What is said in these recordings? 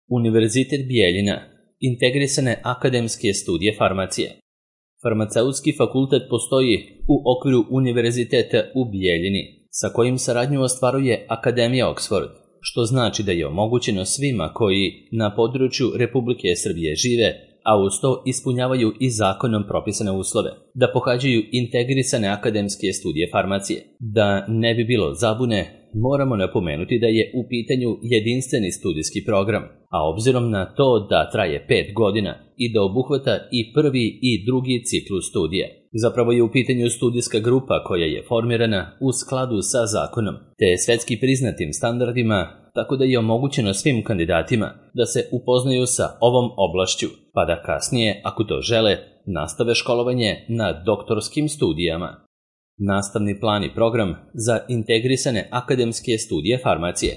Univerzitet Bijeljina, integrisane akademske studije farmacije. Farmaceutski fakultet postoji u okviru Univerziteta u Bijeljini, sa kojim saradnju ostvaruje Akademija Oxford, što znači da je omogućeno svima koji na području Republike Srbije žive, a uz to ispunjavaju i zakonom propisane uslove, da pohađaju integrisane akademske studije farmacije. Da ne bi bilo zabune, moramo napomenuti da je u pitanju jedinstveni studijski program, a obzirom na to da traje 5 godina i da obuhvata i prvi i drugi ciklus studija. Zapravo je u pitanju studijska grupa koja je formirana u skladu sa zakonom, te svetski priznatim standardima, tako da je omogućeno svim kandidatima da se upoznaju sa ovom oblašću, pa da kasnije, ako to žele, nastave školovanje na doktorskim studijama. Nastavni plan i program za integrisane akademske studije farmacije.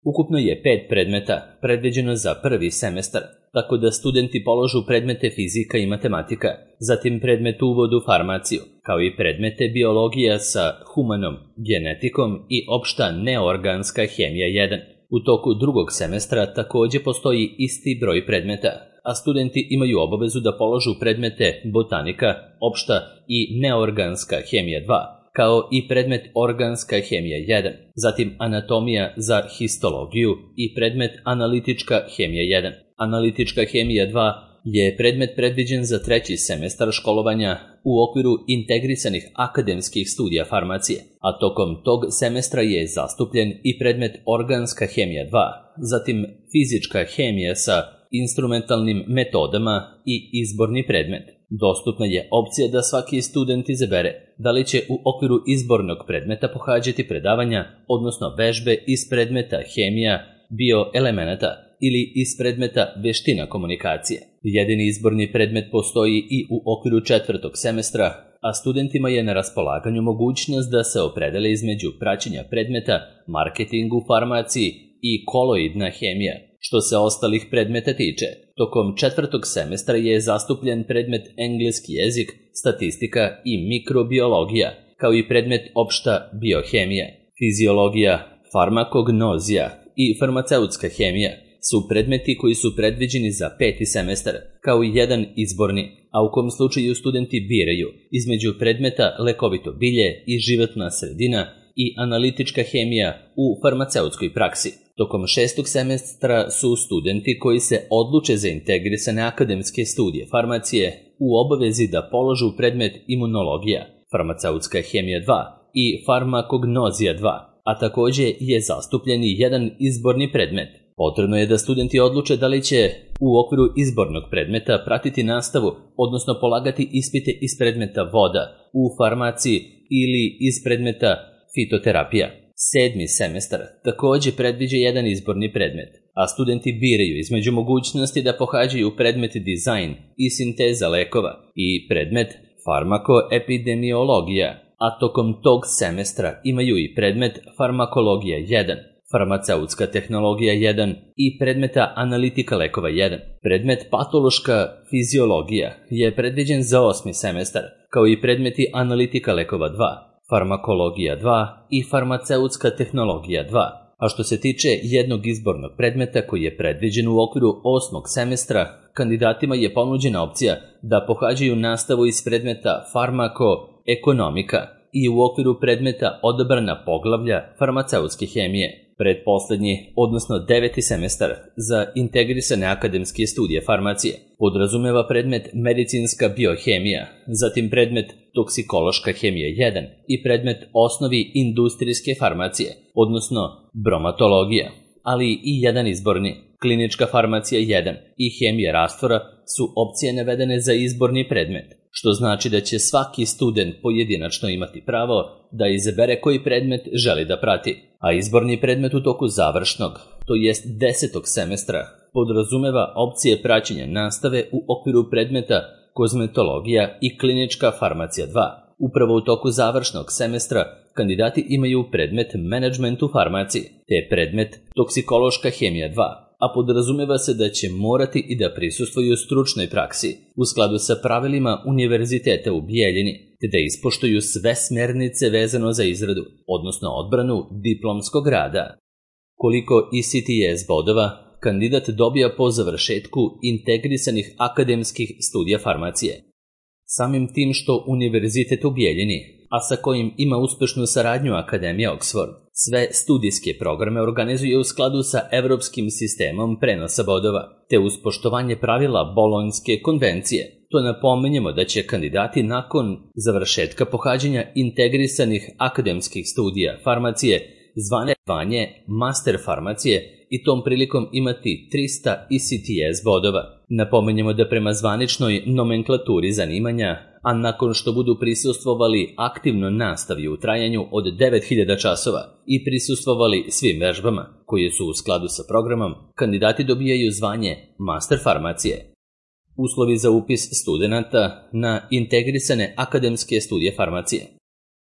Ukupno je 5 predmeta predviđeno za prvi semestar, tako da studenti položu predmete fizika i matematika, zatim predmet uvod u farmaciju, kao i predmete biologija sa humanom genetikom i opšta neorganska hemija 1. U toku drugog semestra takođe postoji isti broj predmeta, a studenti imaju obavezu da položu predmete botanika, opšta i neorganska hemija 2, kao i predmet organska hemija 1, zatim anatomija za histologiju i predmet analitička hemija 1. Analitička hemija 2 je predmet predviđen za treći semestar školovanja u okviru integrisanih akademskih studija farmacije, a tokom tog semestra je zastupljen i predmet organska hemija 2, zatim fizička hemija sa instrumentalnim metodama i izborni predmet. Dostupna je opcija da svaki student izabere da li će u okviru izbornog predmeta pohađati predavanja, odnosno vežbe iz predmeta hemija, bioelemenata ili iz predmeta veština komunikacije. Jedini izborni predmet postoji i u okviru četvrtog semestra, a studentima je na raspolaganju mogućnost da se opredele između praćenja predmeta marketing u farmaciji i koloidna hemija. Što se ostalih predmeta tiče, tokom četvrtog semestra je zastupljen predmet engleski jezik, statistika i mikrobiologija, kao i predmet opšta biohemija, fiziologija, farmakognozija i farmaceutska hemija su predmeti koji su predviđeni za 5. semestar, kao i jedan izborni, a u kom slučaju studenti biraju između predmeta lekovito bilje i životna sredina i analitička hemija u farmaceutskoj praksi. Tokom 6. semestra su studenti koji se odluče za integrisane akademske studije farmacije u obavezi da položu predmet imunologija, farmaceutska hemija 2 i farmakognozija 2, a takođe je zastupljen i jedan izborni predmet. Potrebno je da studenti odluče da li će u okviru izbornog predmeta pratiti nastavu, odnosno polagati ispite iz predmeta voda u farmaciji ili iz predmeta fitoterapija. 7. semestar takođe predviđa jedan izborni predmet, a studenti biraju između mogućnosti da pohađaju predmet dizajn i sinteza lekova i predmet farmakoepidemiologija, a tokom tog semestra imaju i predmet farmakologija 1, farmaceutska tehnologija 1 i predmeta analitika lekova 1. Predmet patološka fiziologija je predviđen za 8. semestar, kao i predmeti analitika lekova 2, farmakologija 2 i farmaceutska tehnologija 2. A što se tiče jednog izbornog predmeta koji je predviđen u okviru 8. semestra, kandidatima je ponuđena opcija da pohađaju nastavu iz predmeta farmakoekonomika i u okviru predmeta odabrana poglavlja farmaceutske hemije. Predposlednji, odnosno 9. semestar za integrisane akademske studije farmacije podrazumeva predmet medicinska biohemija, zatim predmet toksikološka hemija 1 i predmet osnovi industrijske farmacije, odnosno bromatologija, ali i jedan izborni, klinička farmacija 1 i hemija rastvora su opcije navedene za izborni predmet, što znači da će svaki student pojedinačno imati pravo da izabere koji predmet želi da prati, a izborni predmet u toku završnog, to jest 10. semestra, podrazumeva opcije praćenja nastave u okviru predmeta kozmetologija i klinička farmacija 2. Upravo u toku završnog semestra kandidati imaju predmet menadžment u farmaciji, te predmet toksikološka hemija 2, a podrazumeva se da će morati i da prisustvuju stručnoj praksi u skladu sa pravilima Univerziteta u Bijeljini, te da ispoštuju sve smernice vezano za izradu, odnosno odbranu diplomskog rada. Koliko ECTS bodova kandidat dobija po završetku integrisanih akademskih studija farmacije. Samim tim što Univerzitet u Bijeljini, a sa kojim ima uspešnu saradnju Akademija Oxford, sve studijske programe organizuje u skladu sa evropskim sistemom prenosa bodova, te uz poštovanje pravila Bolonjske konvencije. To napominjemo da će kandidati nakon završetka pohađanja integrisanih akademskih studija farmacije zvanje master farmacije i tom prilikom imati 300 ECTS bodova. Napominjemo da prema zvaničnoj nomenklaturi zanimanja, a nakon što budu prisustvovali aktivno nastavi u trajanju od 9000 časova i prisustvovali svim vežbama koje su u skladu sa programom, kandidati dobijaju zvanje master farmacije. Uslovi za upis studenata na integrisane akademske studije farmacije.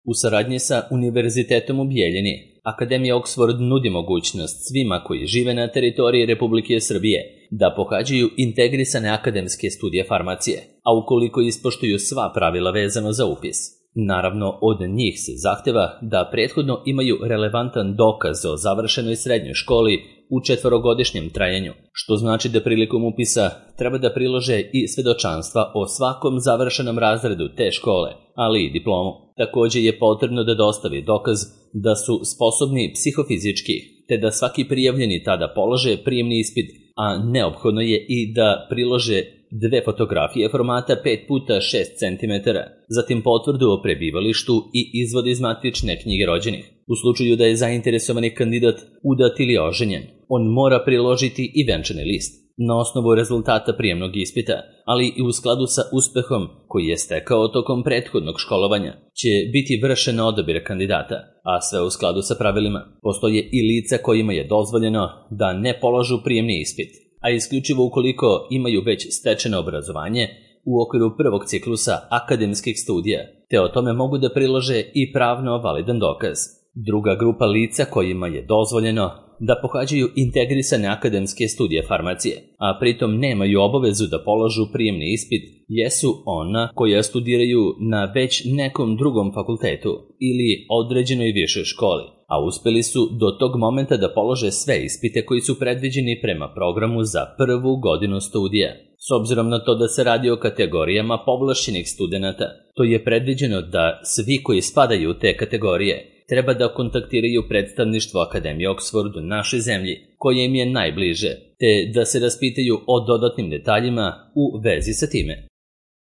U saradnji sa Univerzitetom u Bijeljini, Akademija Oxford nudi mogućnost svima koji žive na teritoriji Republike Srbije da pohađaju integrisane akademske studije farmacije, a ukoliko ispoštuju sva pravila vezano za upis. Naravno, od njih se zahteva da prethodno imaju relevantan dokaz o završenoj srednjoj školi u 4-godišnjem trajanju, što znači da prilikom upisa treba da prilože i svedočanstva o svakom završenom razredu te škole, ali i diplomu. Također je potrebno da dostavi dokaz da su sposobni psihofizički, te da svaki prijavljeni tada polože prijemni ispit, a neophodno je i da prilože 2 fotografije formata 5x6 cm, zatim potvrdu o prebivalištu i izvod iz matične knjige rođenih. U slučaju da je zainteresovani kandidat udat ili oženjen, on mora priložiti i venčani list na osnovu rezultata prijemnog ispita, ali i u skladu sa uspehom koji je stekao tokom prethodnog školovanja će biti vršen odabir kandidata, a sve u skladu sa pravilima. Postoje i lica kojima je dozvoljeno da ne polažu prijemni ispit, a isključivo ukoliko imaju već stečeno obrazovanje u okviru prvog ciklusa akademskih studija, te o tome mogu da prilože i pravno validan dokaz. Druga grupa lica kojima je dozvoljeno da pohađaju integrisane akademske studije farmacije, a pritom nemaju obavezu da polažu prijemni ispit, jesu ona koja studiraju na već nekom drugom fakultetu ili određenoj višoj školi, a uspeli su do tog momenta da polože sve ispite koji su predviđeni prema programu za prvu godinu studija. S obzirom na to da se radi o kategorijama povlašćenih studenata, to je predviđeno da svi koji spadaju u te kategorije treba da kontaktiraju predstavništvo Akademije Oxford u našoj zemlji, koje im je najbliže, te da se raspitaju o dodatnim detaljima u vezi sa time.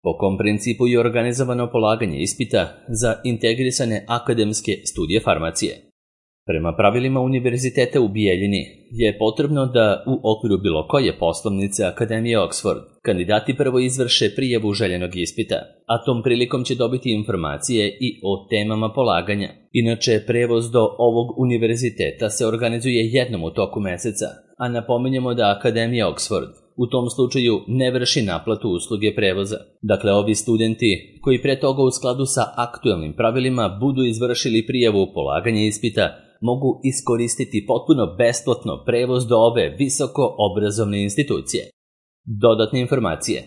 Po kom principu je organizovano polaganje ispita za integrisane akademske studije farmacije? Prema pravilima Univerziteta u Bijeljini je potrebno da u okviru bilo koje poslovnice Akademije Oxford kandidati prvo izvrše prijavu željenog ispita, a tom prilikom će dobiti informacije i o temama polaganja. Inače, prevoz do ovog univerziteta se organizuje jednom u toku meseca, a napominjemo da Akademija Oxford u tom slučaju ne vrši naplatu usluge prevoza. Dakle, ovi studenti koji pre toga u skladu sa aktuelnim pravilima budu izvršili prijavu polaganja ispita mogu iskoristiti potpuno besplatno prevoz do ove visoko obrazovne institucije. Dodatne informacije.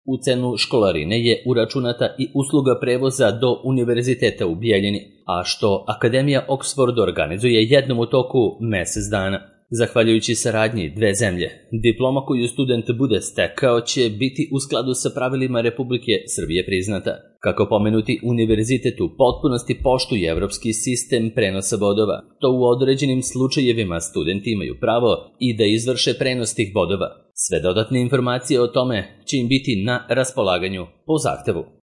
U cenu školarine je uračunata i usluga prevoza do Univerziteta u Bijeljini, a što Akademija Oxford organizuje jednom u toku mesec dana. Zahvaljujući saradnji dve zemlje, diploma koju student bude stekao će biti u skladu sa pravilima Republike Srbije priznata. Kako pomenuti univerzitet u potpunosti poštuje evropski sistem prenosa bodova, to u određenim slučajevima studenti imaju pravo i da izvrše prenos tih bodova. Sve dodatne informacije o tome će im biti na raspolaganju po zahtevu.